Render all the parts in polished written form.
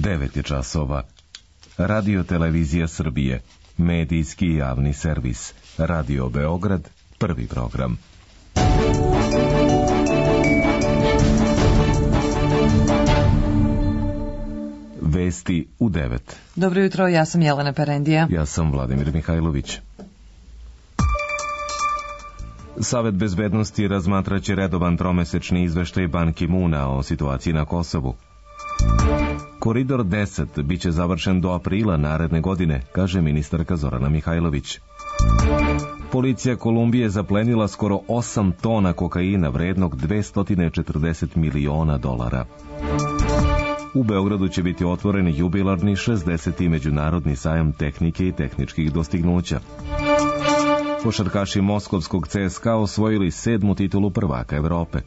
9 je časova. Radio Televizija Srbije, medijski javni servis. Radio Beograd, prvi program. Vesti u 9. Dobro jutro, ja sam Jelena Perendija. Ja sam Vladimir Mihajlović. Savet bezbednosti razmatraće redovan tromesečni izveštaj Ban Ki-moona o situaciji na Kosovu. Koridor 10 biće završen do aprila naredne godine, kaže ministarka Zorana Mihajlović. Policija Kolumbije zaplenila skoro 8 tona kokaina vrednog $240 miliona. U Beogradu će biti otvoren jubilarni 60. međunarodni sajam tehnike i tehničkih dostignuća. Košarkaši moskovskog CSKA osvojili 7. titulu prvaka Evrope.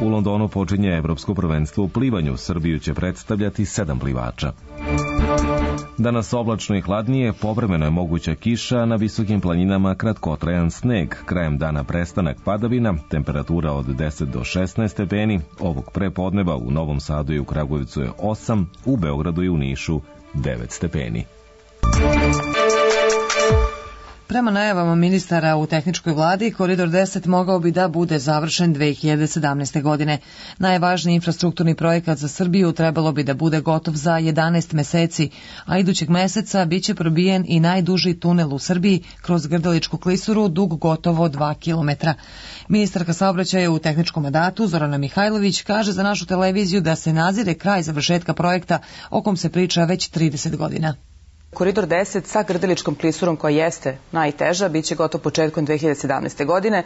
U Londonu počinje Evropsko prvenstvo u plivanju. Srbiju će predstavljati 7 plivača. Danas oblačno i hladnije, povremeno je moguća kiša, na visokim planinama kratkotrajan sneg, krajem dana prestanak padavina, temperatura od 10 do 16 stepeni, ovog prepodneva u Novom Sadu i u Kragujevcu je 8, u Beogradu i u Nišu 9 stepeni. Prema najavama ministara u tehničkoj vladi, Koridor 10 mogao bi da bude završen 2017. godine. Najvažniji infrastrukturni projekat za Srbiju trebalo bi da bude gotov za 11 meseci, a idućeg meseca biće probijen i najduži tunel u Srbiji kroz Grdeličku klisuru, dug gotovo 2 kilometra. Ministarka saobraćaja u tehničkom mandatu Zorana Mihajlović kaže za našu televiziju da se nazire kraj završetka projekta o kom se priča već 30 godina. Koridor 10 sa Grdeličkom klisurom koja jeste najteža, bit će gotov početkom 2017. godine.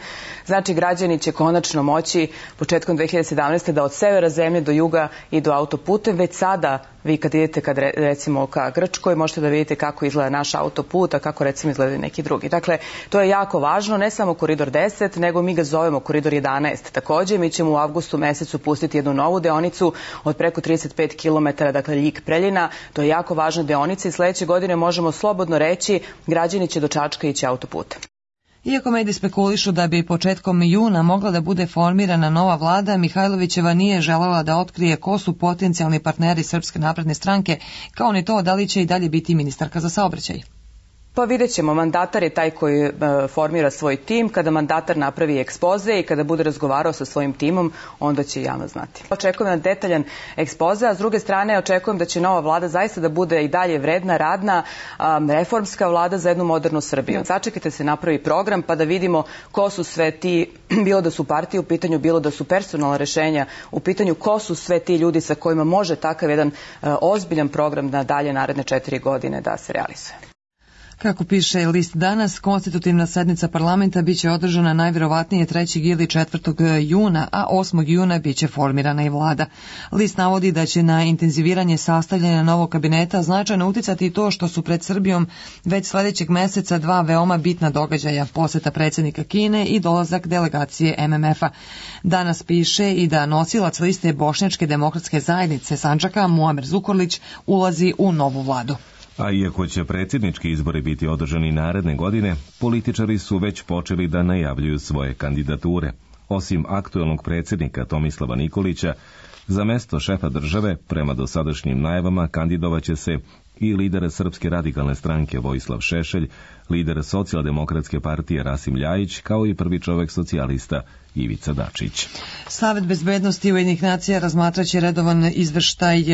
Znači, građani će konačno moći početkom 2017. da od severa zemlje do juga idu autoputem. Već sada vi kad idete recimo ka Grčkoj možete da vidite kako izgleda naš autoput, a kako recimo izgleda neki drugi. Dakle, to je jako važno, ne samo Koridor 10, nego mi ga zovemo Koridor 11. Također, mi ćemo u avgustu mesecu pustiti jednu novu deonicu od preko 35 km, dakle Ljig-Preljina. To je jako važna deonica i sledeće godine možemo slobodno reći građani će do Čačka ići autoputem. Iako mediji spekulišu da bi početkom juna mogla da bude formirana nova vlada, Mihajlovićeva nije želela da otkrije ko su potencijalni partneri Srpske napredne stranke, kao ni to da li će i dalje biti ministarka za saobraćaj. Pa vidjet ćemo, mandatar je taj koji formira svoj tim. Kada mandatar napravi ekspoze i kada bude razgovarao sa svojim timom, onda će javno znati. Očekujem na detaljan ekspoze, a s druge strane očekujem da će nova vlada zaista da bude i dalje vredna, radna, reformska vlada za jednu modernu Srbiju. Sačekajte se napravi program pa da vidimo ko su sve ti, bilo da su partije u pitanju, bilo da su personalna rešenja u pitanju, ko su sve ti ljudi sa kojima može takav jedan ozbiljan program na dalje naredne 4 godine da se realizuje. Kako piše list danas, konstitutivna sednica parlamenta biće održana najvjerovatnije 3. ili 4. juna, a 8. juna biće formirana i vlada. List navodi da će na intenziviranje sastavljanja novog kabineta značajno uticati i to što su pred Srbijom već sledećeg meseca 2 veoma bitna događaja, poseta predsjednika Kine i dolazak delegacije MMF-a. Danas piše i da nosilac liste Bošnjačke demokratske zajednice Sandžaka, Muamer Zukorlić, ulazi u novu vladu. A iako će predsjednički izbori biti održani naredne godine, političari su već počeli da najavljuju svoje kandidature. Osim aktuelnog predsjednika Tomislava Nikolića, za mesto šefa države, prema dosadašnjim najavama, kandidovaće se i lider Srpske radikalne stranke Vojislav Šešelj, lider Socijaldemokratske partije Rasim Ljajić, kao i prvi čovek socijalista Ivica Dačić. Savet bezbednosti Ujedinjenih nacija razmatraće redovan izveštaj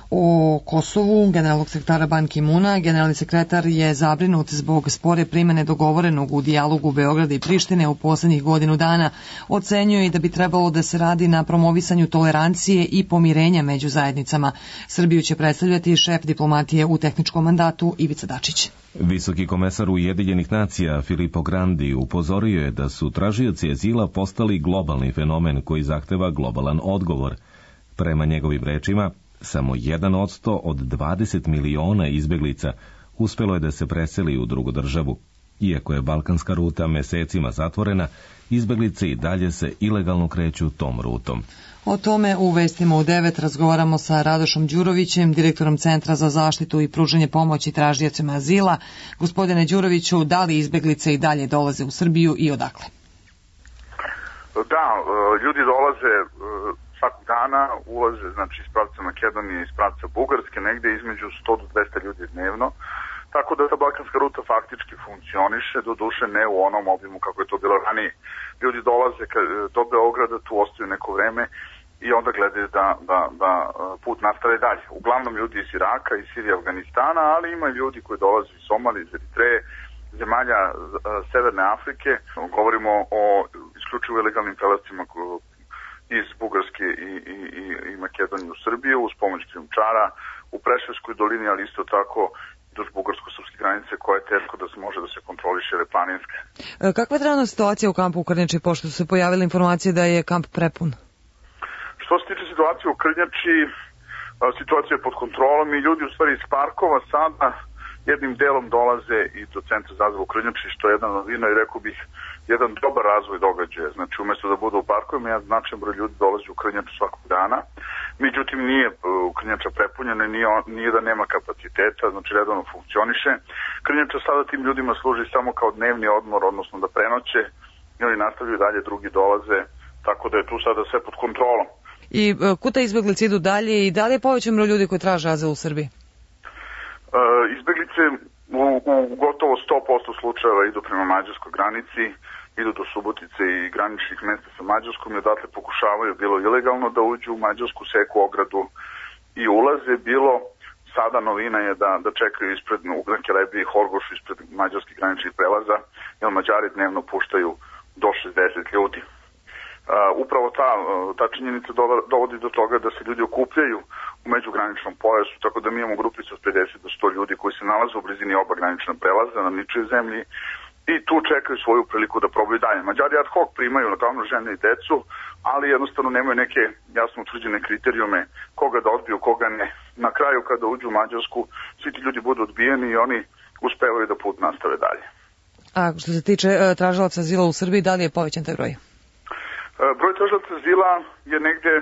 o Kosovu generalnog sekretara Ban Ki-moona. Generalni sekretar je zabrinut zbog spore primene dogovorenog u dijalogu Beograda i Prištine u poslednjih godinu dana. Ocenjuje i da bi trebalo da se radi na promovisanju tolerancije i pomirenja među zajednicama. Srbiju će predstavljati šef diplomatije u tehničkom mandatu Ivica Dačić. Visoki komesar Ujedinjenih nacija Filippo Grandi upozorio je da su tražioci azila postali globalni fenomen koji zahteva globalan odgovor. Prema njegovim rečima, samo 1% od 20 miliona izbeglica uspelo je da se preseli u drugu državu. Iako je balkanska ruta mesecima zatvorena, izbeglice i dalje se ilegalno kreću tom rutom. O tome u vestima u 9 razgovaramo sa Radošom Đurovićem, direktorom Centra za zaštitu i pružanje pomoći tražiocima azila. Gospodine Đuroviću, da li izbeglice i dalje dolaze u Srbiju i odakle? Da, ljudi dolaze svakog dana ulaze, znači iz pravca Makedonije, iz pravca Bugarske, negde između 100 do 200 ljudi dnevno. Tako da ta balkanska ruta faktički funkcioniše, do duše ne u onom obimu kako je to bilo ranije. Ljudi dolaze do Beograda, tu ostaju neko vreme i onda gledaju da put nastave dalje. Uglavnom ljudi iz Iraka, iz Sirije, Afganistana, ali ima i ljudi koji dolaze iz Somalije, iz Eritreje, zemalja Severne Afrike. Govorimo o isključivo ilegalnim prelascima iz Bugarske i Makedonije u Srbiju uz pomoć krijumčara u Preševskoj dolini, ali isto tako duž bugarsko-srpske granice koja je teško da se može da se kontroliše, jer je planinska. Kakva je trenutna situacija u kampu u Krnjači, pošto su se pojavile informacije da je kamp prepun? Što se tiče situacije u Krnjači, situacija je pod kontrolom i ljudi u stvari iz parkova sada jednim delom dolaze i do centra za azil u Krnjači, što je jedna novina i rekao bih jedan dobar razvoj događaja. Znači umjesto da budu u parkovima, jedan značajan broj ljudi dolazi u Krnjaču svakog dana. Međutim, nije Krnjača prepunjena, nije da nema kapaciteta, znači redovno funkcioniše. Krnjača sada tim ljudima služi samo kao dnevni odmor, odnosno da prenoće i oni nastavljaju dalje, drugi dolaze, tako da je tu sada sve pod kontrolom. I kuda izbeglice idu dalje i da li je povećan broj ljudi koji traže azil u Srbiji? Izbeglice u gotovo 100% slučajeva idu prema mađarskoj granici, idu do Subotice i graničnih mesta sa Mađarskom i odatle pokušavaju bilo ilegalno da uđu u Mađarsku, seku ogradu i ulaze, bilo sada novina je da čekaju ispred Ugranke, Lebi i Horgošu ispred mađarskih graničnih prelaza, jer Mađari dnevno puštaju do 60 ljudi. Upravo ta činjenica dovodi do toga da se ljudi okupljaju u međugraničnom pojasu, tako da mi imamo grupicu od 50 do 100 ljudi koji se nalaze u blizini oba granična prelaza na ničoj zemlji i tu čekaju svoju priliku da probaju dalje. Mađari ad hoc primaju naravno žene i decu, ali jednostavno nemaju neke jasno utvrđene kriterijume koga da odbiju, koga ne. Na kraju kada uđu u Mađarsku, svi ti ljudi budu odbijeni i oni uspevaju da put nastave dalje. A što se tiče tražilaca azila u Srbiji, da li je povećan taj broj? Broj tražilaca azila je negde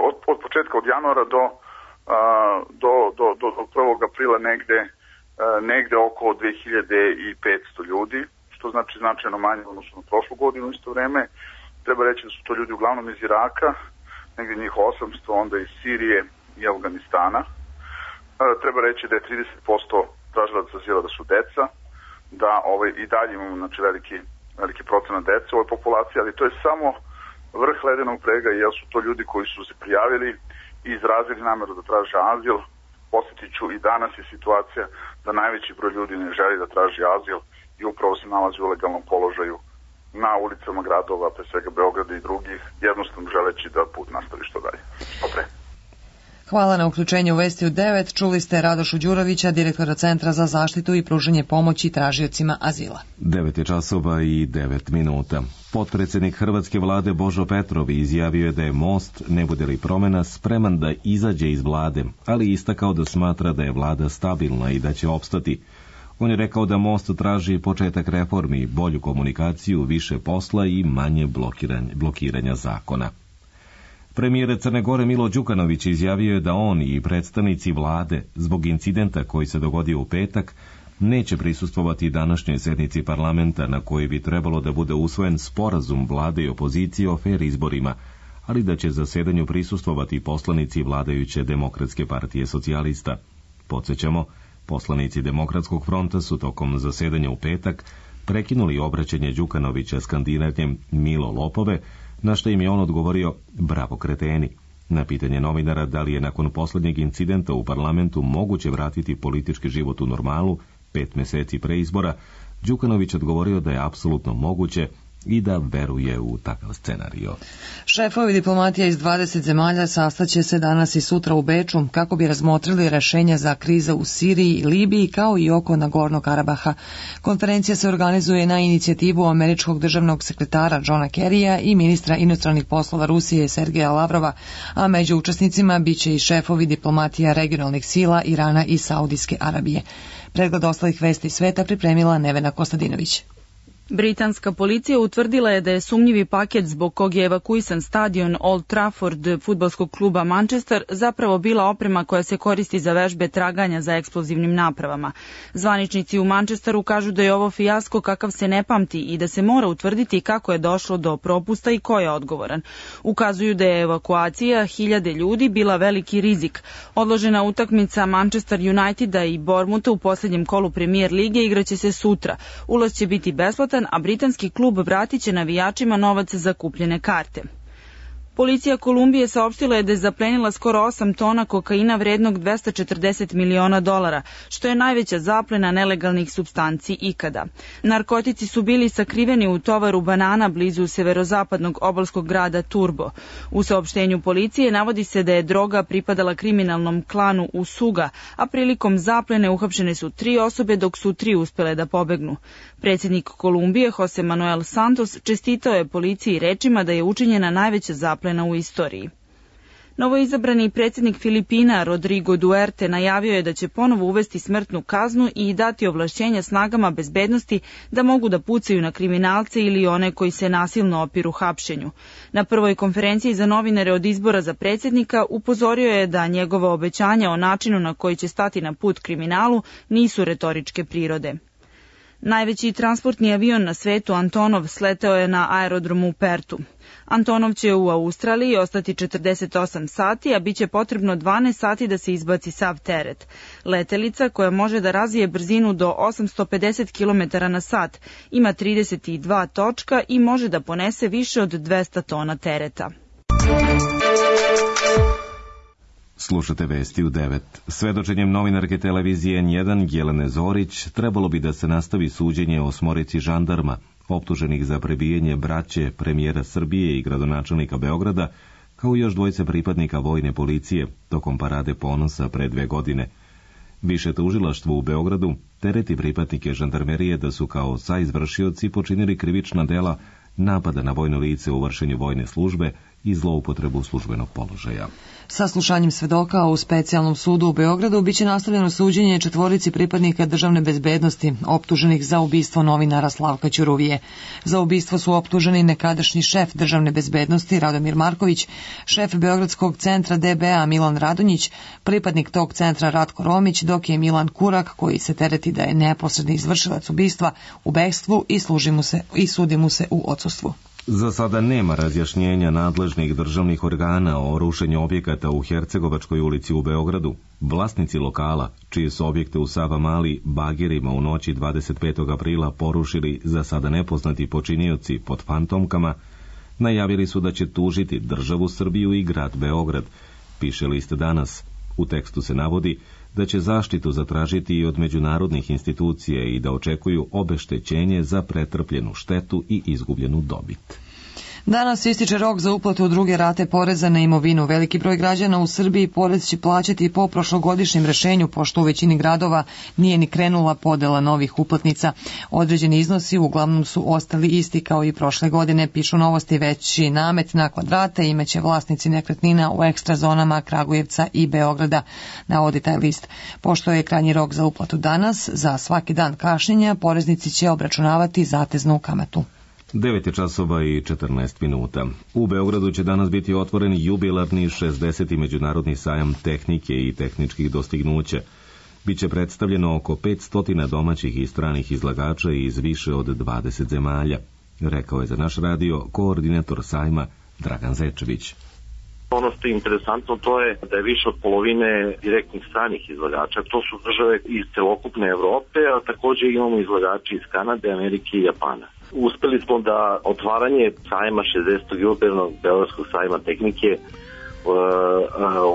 od početka, od januara do 1. aprila negde oko 2500 ljudi, što znači značajno manje odnosno na prošlu godinu isto vreme. Treba reći da su to ljudi uglavnom iz Iraka, negde njih 800, onda iz Sirije i Afganistana. Treba reći da je 30% tražilaca azila da su deca, da i dalje imamo znači, veliki procenat dece u ovoj populaciji, ali to je samo vrh ledenog brega, jer su to ljudi koji su se prijavili i izrazili nameru da traže azil. Posjetit ću, i danas je situacija da najveći broj ljudi ne želi da traži azil i upravo se nalazi u legalnom položaju na ulicama gradova, pre svega Beograda i drugih, jednostavno želeći da put nastavi što dalje. Dobre. Hvala na uključenju u Vesti u 9. Čuli ste Radošu Đurovića, direktora Centra za zaštitu i pružanje pomoći tražiocima azila. 9:09. Potpredsjednik Hrvatske vlade Božo Petrov izjavio je da je Most, ne bude li promjena, spreman da izađe iz vlade, ali istakao da smatra da je vlada stabilna i da će opstati. On je rekao da Most traži početak reformi, bolju komunikaciju, više posla i manje blokiranja zakona. Premijer Crne Gore Milo Đukanović izjavio je da on i predstavnici vlade zbog incidenta koji se dogodio u petak neće prisustvovati današnjoj sjednici parlamenta na kojoj bi trebalo da bude usvojen sporazum vlade i opozicije o fer izborima, ali da će zasedanju prisustvovati poslanici vladajuće Demokratske partije socijalista. Podsjećamo, poslanici Demokratskog fronta su tokom zasedanja u petak prekinuli obraćanje Đukanovića skandiranjem Milo lopove, na što im je on odgovorio bravo kreteni. Na pitanje novinara da li je nakon posljednjeg incidenta u parlamentu moguće vratiti politički život u normalu 5 mjeseci pre izbora, Đukanović odgovorio da je apsolutno moguće i da veruje u takav scenario. Šefovi diplomatija iz 20 zemalja sastaće se danas i sutra u Beču kako bi razmotrili rešenja za krize u Siriji i Libiji kao i oko Nagornog Karabaha. Konferencija se organizuje na inicijativu američkog državnog sekretara Johna Kerrya i ministra inostranih poslova Rusije Sergeja Lavrova, a među učesnicima biće i šefovi diplomatija regionalnih sila Irana i Saudijske Arabije. Pregled ostalih vesti sveta pripremila Nevena Kostadinović. Britanska policija utvrdila je da je sumnjivi paket zbog kog je evakuisan stadion Old Trafford fudbalskog kluba Manchester zapravo bila oprema koja se koristi za vežbe traganja za eksplozivnim napravama. Zvaničnici u Manchesteru kažu da je ovo fijasko kakav se ne pamti i da se mora utvrditi kako je došlo do propusta i ko je odgovoran. Ukazuju da je evakuacija 1000 ljudi bila veliki rizik. Odložena utakmica Manchester Uniteda i Bournemoutha u posljednjem kolu Premier lige igraće se sutra. Ulaz će biti besplatan, a britanski klub vratit će navijačima novac za kupljene karte. Policija Kolumbije saopštila je da je zaplenila skoro 8 tona kokaina vrednog $240 miliona, što je najveća zaplena nelegalnih supstanci ikada. Narkotici su bili sakriveni u tovaru banana blizu severozapadnog obalskog grada Turbo. U saopštenju policije navodi se da je droga pripadala kriminalnom klanu Usuga, a prilikom zaplene uhapšene su 3 osobe dok su 3 uspele da pobegnu. Predsjednik Kolumbije Jose Manuel Santos čestitao je policiji rečima da je učinjena najveća zaplena u istoriji. Novoizabrani predsjednik Filipina Rodrigo Duterte najavio je da će ponovo uvesti smrtnu kaznu i dati ovlašćenja snagama bezbednosti da mogu da pucaju na kriminalce ili one koji se nasilno opiru hapšenju. Na prvoj konferenciji za novinare od izbora za predsjednika upozorio je da njegova obećanja o načinu na koji će stati na put kriminalu nisu retoričke prirode. Najveći transportni avion na svetu Antonov sleteo je na aerodromu u Pertu. Antonov će u Australiji ostati 48 sati, a bit će potrebno 12 sati da se izbaci sav teret. Letelica, koja može da razvije brzinu do 850 km na sat, ima 32 točka i može da ponese više od 200 tona tereta. Slušate vesti u 9. Svedočenjem novinarke televizije N1 Jelene Zorić trebalo bi da se nastavi suđenje 8 žandarma optuženih za prebijanje braće premijera Srbije i gradonačelnika Beograda, kao i još 2 pripadnika vojne policije tokom parade ponosa pre 2 godine. Više tužilaštvo u Beogradu tereti pripadnike žandarmerije da su kao saizvršioci počinili krivična dela napada na vojno lice u vršenju vojne službe i zloupotrebu službenog položaja. Saslušanjem svedoka u specijalnom sudu u Beogradu biće nastavljeno suđenje 4 pripadnika državne bezbednosti optuženih za ubistvo novinara Slavka Ćuruvije. Za ubistvo su optuženi nekadašnji šef državne bezbednosti Radomir Marković, šef Beogradskog centra DBA Milan Radonjić, pripadnik tog centra Ratko Romić, dok je Milan Kurak, koji se tereti da je neposredni izvršilac ubistva, u bekstvu i sudi mu se u odsustvu. Za sada nema razjašnjenja nadležnih državnih organa o rušenju objekata u Hercegovačkoj ulici u Beogradu. Vlasnici lokala, čije su objekte u Savamali bagerima u noći 25. aprila porušili za sada nepoznati počinioci pod fantomkama, najavili su da će tužiti državu Srbiju i grad Beograd, piše list Danas. U tekstu se navodi da će zaštitu zatražiti i od međunarodnih institucija i da očekuju obeštećenje za pretrpljenu štetu i izgubljenu dobit. Danas ističe rok za uplatu 2. rate poreza na imovinu. Veliki broj građana u Srbiji porez će plaćati po prošlogodišnjem rešenju, pošto u većini gradova nije ni krenula podela novih uplatnica. Određeni iznosi uglavnom su ostali isti kao i prošle godine, pišu Novosti. Veći namet na kvadrate imaće vlasnici nekretnina u ekstra zonama Kragujevca i Beograda, navodi taj list. Pošto je krajnji rok za uplatu danas, za svaki dan kašnjenja poreznici će obračunavati zateznu kamatu. 9:14. U Beogradu će danas biti otvoren jubilarni 60. međunarodni sajam tehnike i tehničkih dostignuća. Biće predstavljeno oko 500 domaćih i stranih izlagača iz više od 20 zemalja, rekao je za naš radio koordinator sajma Dragan Zečević. Ono što je interesantno to je da je više od polovine direktnih stranih izlagača. To su države iz celokupne Evrope, a također imamo izlagači iz Kanade, Amerike i Japana. Uspeli smo da otvaranje sajma 60. jubilarnog Beogradskog sajma tehnike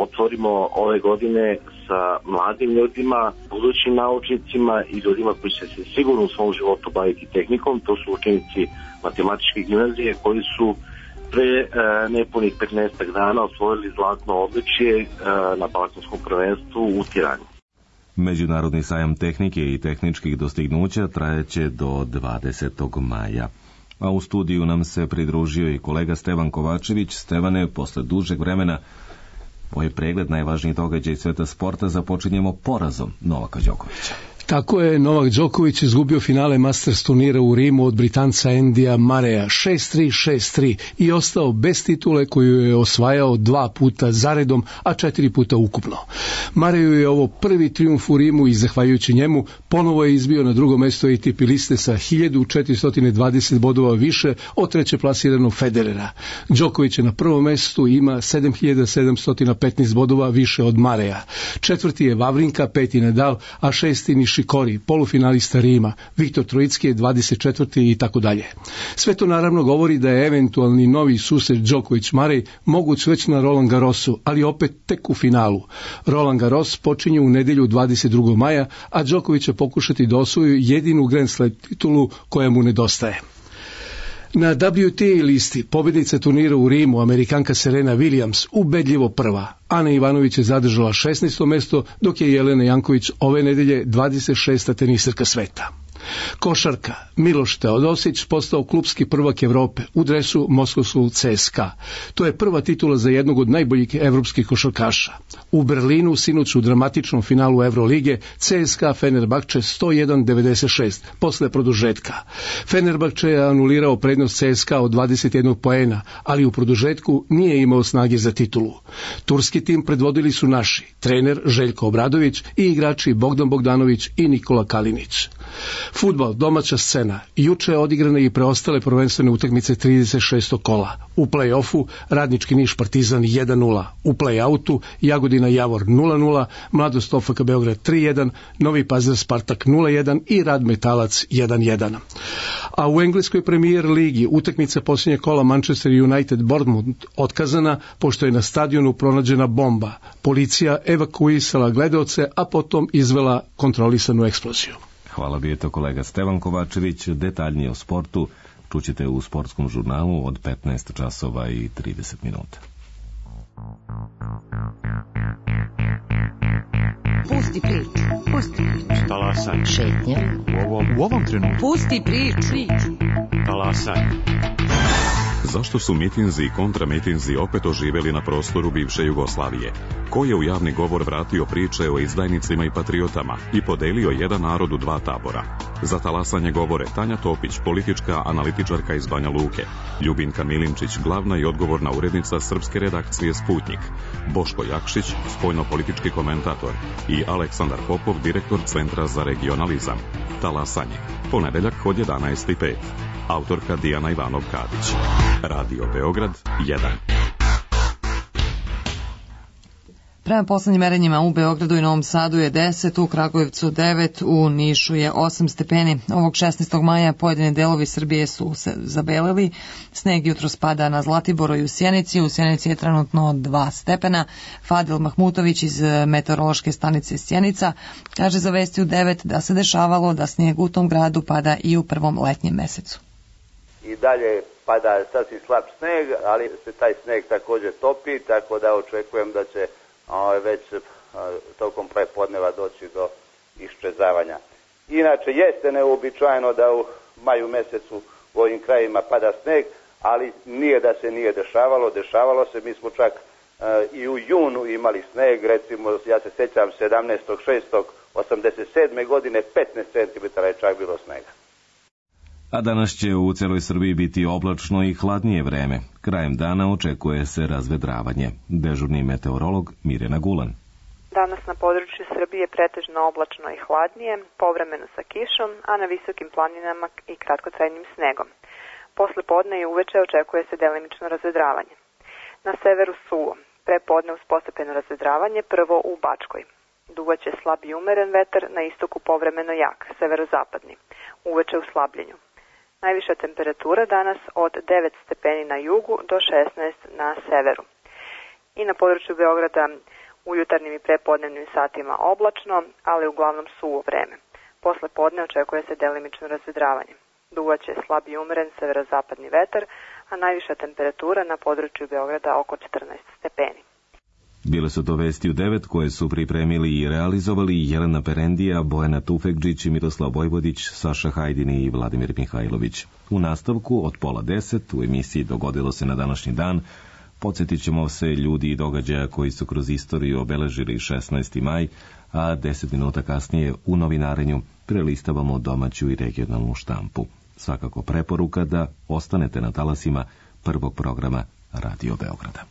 otvorimo ove godine sa mladim ljudima, budućim naučnicima i ljudima koji će se sigurno u svom životu baviti tehnikom. To su učenici matematičke gimnazije koji su pre nepunih 15 dana osvojili zlatno odličje na balkanskom prvenstvu u Tirani. Međunarodni sajam tehnike i tehničkih dostignuća trajeće do 20. maja. A u studiju nam se pridružio i kolega Stevan Kovačević. Stevane, posle dužeg vremena, ovaj pregled najvažnijih događaja iz sveta sporta započinjemo porazom Novaka Đokovića. Tako je Novak Đoković izgubio finale Masters turnira u Rimu od Britanca Andyja Murraya 6-3, 6-3 i ostao bez titule koju je osvajao 2 puta zaredom, a 4 puta ukupno. Murrayu je ovo prvi trijumf u Rimu i zahvaljujući njemu ponovo je izbio na drugo mesto ATP liste sa 1420 bodova više od treće plasiranog Federera. Đoković je na prvom mestu i ima 7715 bodova više od Murraya. Četvrti je Wawrinka, peti Nadal, a šesti Nishikori, polufinalista Rima, Viktor Trojicki je 24. i tako dalje. Sve to naravno govori da je eventualni novi susret Đoković-Murray moguć već na Roland Garrosu, ali opet tek u finalu. Roland Garros počinje u nedjelju 22. maja, a Đoković će pokušati da osvoji jedinu Grand Slam titulu koja mu nedostaje. Na WTA listi pobjednica turnira u Rimu, Amerikanka Serena Williams, ubedljivo prva. Ana Ivanović je zadržala 16. mesto, dok je Jelena Janković ove nedelje 26. teniserka sveta. Košarka. Miloš Teodosić postao klubski prvak Evrope u dresu moskovskog CSKA. To je prva titula za jednog od najboljih evropskih košarkaša. U Berlinu sinoć u dramatičnom finalu Evrolige CSKA Fenerbahče 101-96 posle produžetka. Fenerbahče je anulirao prednost CSKA od 21 poena, ali u produžetku nije imao snage za titulu. Turski tim predvodili su naši, trener Željko Obradović i igrači Bogdan Bogdanović i Nikola Kalinić. Fudbal, domaća scena. Juče je odigrane i preostale prvenstvene utakmice 36. kola. U play-offu Radnički Niš Partizan 1-0. U play-outu Jagodina Javor 0-0, Mladost OFK Beograd 3-1, Novi Pazar Spartak 0-1 i Rad Metalac 1-1. A u engleskoj Premier ligi utakmica posljednje kola Manchester United Bournemouth otkazana pošto je na stadionu pronađena bomba. Policija evakuisala gledaoce, a potom izvela kontrolisanu eksploziju. Hvala, bio je to kolega Stevan Kovačević. Detaljnije o sportu čućete u sportskom žurnalu od 15 časova i 30 minuta. Pusti priču. Pusti priču. Talasaj. Šetnja. U ovom trenutku. Pusti priču. Talasaj. Zašto su mitinzi i kontramitinzi opet oživjeli na prostoru bivše Jugoslavije? Ko je u javni govor vratio priče o izdajnicima i patriotama i podelio jedan narod u dva tabora? Za talasanje govore Tanja Topić, politička analitičarka iz Banja Luke, Ljubinka Milinčić, glavna i odgovorna urednica srpske redakcije Sputnik, Boško Jakšić, spoljno-politički komentator i Aleksandar Popov, direktor Centra za regionalizam. Talasanje. Ponedeljak od 11:05. Autorka Dijana Ivanov-Kadić. Radio Beograd 1. Prema poslednjim merenjima u Beogradu i Novom Sadu je 10, u Kragujevcu 9, u Nišu je 8 stepeni. Ovog 16. maja pojedine delovi Srbije su se zabeleli. Sneg jutro spada na Zlatiboru i u Sjenici. U Sjenici je trenutno 2 stepena. Fadil Mahmutović iz meteorološke stanice Sjenica kaže za Vesti u 9 da se dešavalo da snijeg u tom gradu pada i u prvom letnjem mesecu. I dalje pada sasvim slab sneg, ali se taj sneg također topi, tako da očekujem da će već tokom prepodneva doći do iščezavanja. Inače, jeste neuobičajeno da u maju mesecu u ovim krajima pada sneg, ali nije da se nije dešavalo se, mi smo čak i u junu imali sneg, recimo, ja se sjećam 17.6.87. godine 15 cm je čak bilo snega. A danas će u celoj Srbiji biti oblačno i hladnije vreme. Krajem dana očekuje se razvedravanje. Dežurni meteorolog Mirjana Gulan. Danas na području Srbije pretežno oblačno i hladnije, povremeno sa kišom, a na visokim planinama i kratkotrajnim snegom. Posle podne i uveče očekuje se delimično razvedravanje. Na severu suvo, prepodne uz postepeno razvedravanje, prvo u Bačkoj. Duvaće slab i umeren vetar, na istoku povremeno jak, severozapadni, uveče u slabljenju. Najviša temperatura danas od 9 stepeni na jugu do 16 na severu. I na području Beograda u jutarnjim i prepodnevnim satima oblačno, ali uglavnom suvo vreme. Posle podne očekuje se delimično razvedravanje. Duvaće slab i umeren severozapadni vetar, a najviša temperatura na području Beograda oko 14 stepeni. Bile su to Vesti u 9 koje su pripremili i realizovali Jelena Perendija, Bojana Tufekđić, Miroslav Vojvodić, Saša Hajdini i Vladimir Mihajlović. U nastavku od 9:30 u emisiji Dogodilo se na današnji dan Podsjetit ćemo se ljudi i događaja koji su kroz istoriju obeležili 16. maj, a 10 minuta kasnije u novinarenju prelistavamo domaću i regionalnu štampu. Svakako preporuka da ostanete na talasima prvog programa Radio Beograda.